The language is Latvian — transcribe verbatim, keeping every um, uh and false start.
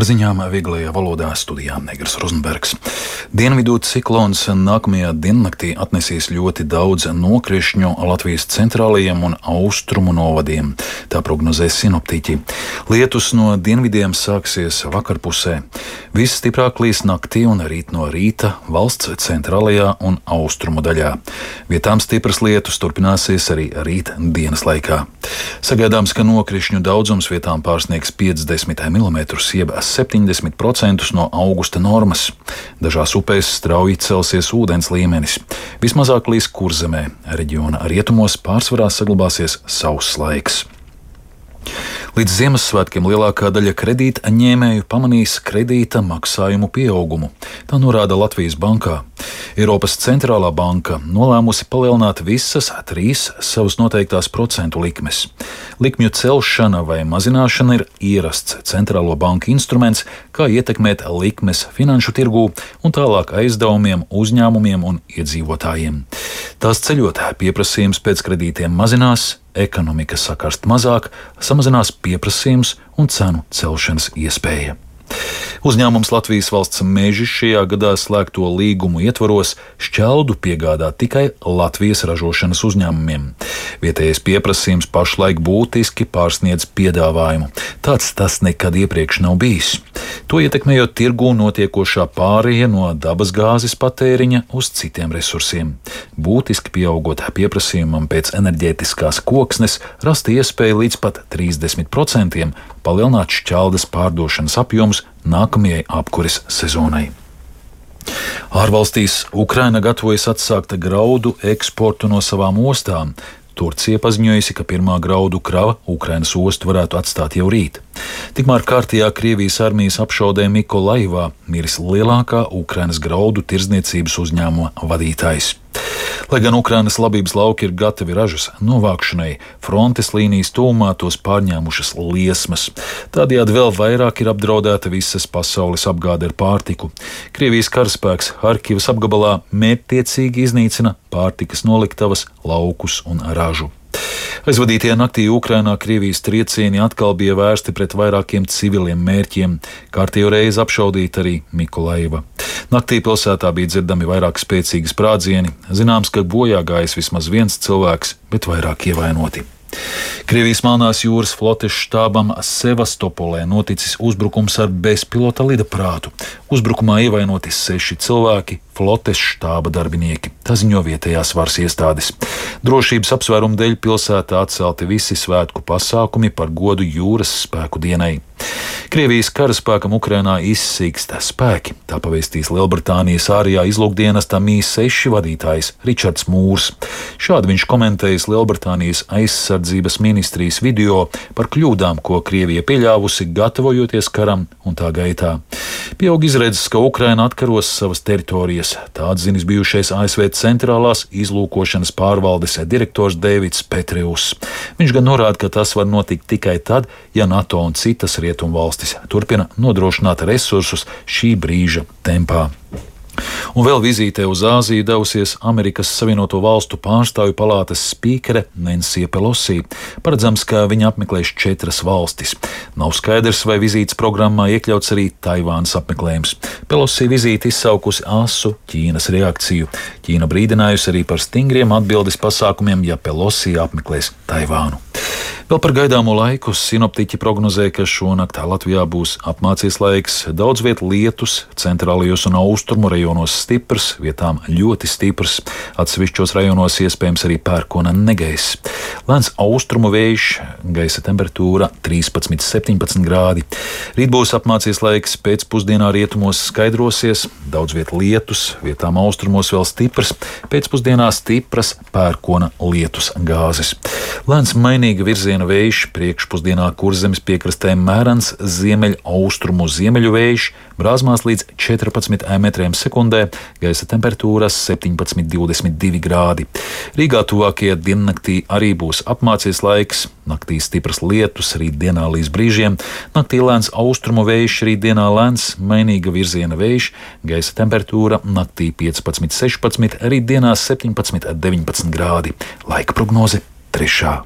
Ar ziņām vieglajā valodā studijā Negras Rozenbergs. Dienvidu ciklons nākamajā diennaktī atnesīs ļoti daudz nokrišņu Latvijas centrālajiem un austrumu novadiem. Tā prognozē sinoptiķi. Lietus no dienvidiem sāksies vakarpusē. Visstiprāk līs naktī un rīt no rīta valsts centrālajā un austrumu daļā. Vietām stipras lietus turpināsies arī rīt dienas laikā. Sagaidāms, ka nokrišņu daudzums vietām pārsniegs piecdesmit milimetrus, jeb septiņdesmit procentus no augusta normas. Dažās upēs strauji celsies ūdens līmenis. Vismazāk līs Kurzemē, reģiona rietumos pārsvarā saglabāsies sauss laiks. Līdz Ziemassvētkiem lielākā daļa kredītņēmēju pamanīs kredīta maksājumu pieaugumu. Tā norāda Latvijas bankā. Eiropas centrālā banka nolēmusi palielināt visas trīs savas noteiktās procentu likmes. Likmju celšana vai mazināšana ir ierasts centrālo banku instruments, kā ietekmēt likmes finanšu tirgū un tālāk aizdevumiem, uzņēmumiem un iedzīvotājiem. Tās ceļot, pieprasījums pēc kredītiem mazinās, ekonomika sakarst mazāk, samazinās pieprasījums un cenu celšanas iespēja. Uzņēmums Latvijas valsts meži šajā gadā slēgto līgumu ietvaros šķeldu piegādā tikai Latvijas ražošanas uzņēmumiem. Vietējais pieprasījums pašlaik būtiski pārsniedz piedāvājumu. Tāds tas nekad iepriekš nav bijis. To ietekmējot tirgū notiekošā pāreja no dabasgāzes patēriņa uz citiem resursiem. Būtiski pieaugot pieprasījumam pēc enerģētiskās koksnes, rast iespēju līdz pat trīsdesmit procentiem palielināt šķeldes pārdošanas apjomus nākamajai apkures sezonai. Ārvalstīs Ukraina gatavojas atsākt graudu eksportu no savām ostām. Turcija paziņojusi, ka pirmā graudu krava Ukrainas ostu varētu atstāt jau rīt. Tikmēr kārtījā Krievijas armijas apšaudē Mikolaivā miris lielākā Ukrainas graudu tirdzniecības uzņēmuma vadītājs. Lai gan Ukrainas labības lauki ir gatavi ražas novākšanai, frontes līnijas tūmā tos pārņēmušas liesmas. Tādējādi vēl vairāk ir apdraudēta visas pasaules apgāde ar pārtiku. Krievijas karaspēks Harkivas apgabalā mērķtiecīgi iznīcina pārtikas noliktavas, laukus un ražu. Aizvadītajā naktī Ukrainā Krievijas triecieni atkal bija vērsti pret vairākiem civiliem mērķiem. Kārtējo reizi apšaudīta arī Mikolaiva. Naktī pilsētā bija dzirdami vairāk spēcīgi sprādzieni. Zināms, ka bojā gājis vismaz viens cilvēks, bet vairāk ievainoti. Krievijas Melnās jūras flotes štābam Sevastopolē noticis uzbrukums ar bezpilota lidaprātu. Uzbrukumā ievainoti seši cilvēki, flotes štāba darbinieki. Tā ziņo vietējās varas iestādes. Drošības apsvērumu dēļ pilsētā atcelti visi svētku pasākumi par godu jūras spēku dienai. Krievijas karaspēkam Ukrainā izsīkst spēki, tā pavēstīs Lielbritānijas ārējā izlūkdienesta M I seši vadītājs Ričards Mūrs. Šādi viņš komentējis Lielbritānijas aizsardzības ministrijas video par kļūdām, ko Krievija pieļāvusi, gatavojoties karam un tā gaitā. Pieaug izredzes, ka Ukraina atkaros savas teritorijas. Tā atzinis bijušais A S V centrālās izlūkošanas pārvaldes direktors Deivids Petrius. Viņš gan norāda, ka tas var notikt tikai tad, ja NATO un citas rietumu valstis turpina nodrošināt resursus šī brīža tempā. Un vēl vizītē uz Āziju devusies Amerikas Savienoto Valstu pārstāvju palātas spīkere Nancy Pelosi. Paredzams, ka viņa apmeklēs četras valstis. Nav skaidrs, vai vizītes programmā iekļauts arī Taivānas apmeklējums. Pelosi vizīti izsaukusi asu Ķīnas reakciju. Ķīna brīdinājusi arī par stingriem atbildes pasākumiem, ja Pelosi apmeklēs Taivānu. Vēl par gaidāmo laiku sinoptiķi prognozē, ka šonakt Latvijā būs apmācies laiks, daudz viet lietus, centrālajos un austrumu rajonos stiprs, vietām ļoti stiprs, atsevišķos rajonos iespējams arī pērkona negaiss. Lēns austrumu vējš, gaisa temperatūra trīspadsmit līdz septiņpadsmit grādi. Rīt būs apmācies laiks, pēcpusdienā rietumos skaidrosies, daudz viet lietus, vietām austrumos vēl stiprs, pēcpusdienā stipras pērkona lietus gāzes. Lēns mainīga virziena vējš, priekšpusdienā Kurzemes piekrastē mērens ziemeļ austrumu ziemeļu vējš, brāzmās līdz četrpadsmit metriem sekundē, gaisa temperatūras septiņpadsmit līdz divdesmit divi grādi. Rīgā tuvākajā diennaktī arī būs apmācies laiks, naktī stipras lietus, rītdienā līdz brīžiem, naktī lēns austrumu vējš, rītdienā lēns mainīga virziena vējš, gaisa temperatūra naktī piecpadsmit līdz sešpadsmit, rītdienā septiņpadsmit līdz deviņpadsmit grādi. Laika prognoze trešā.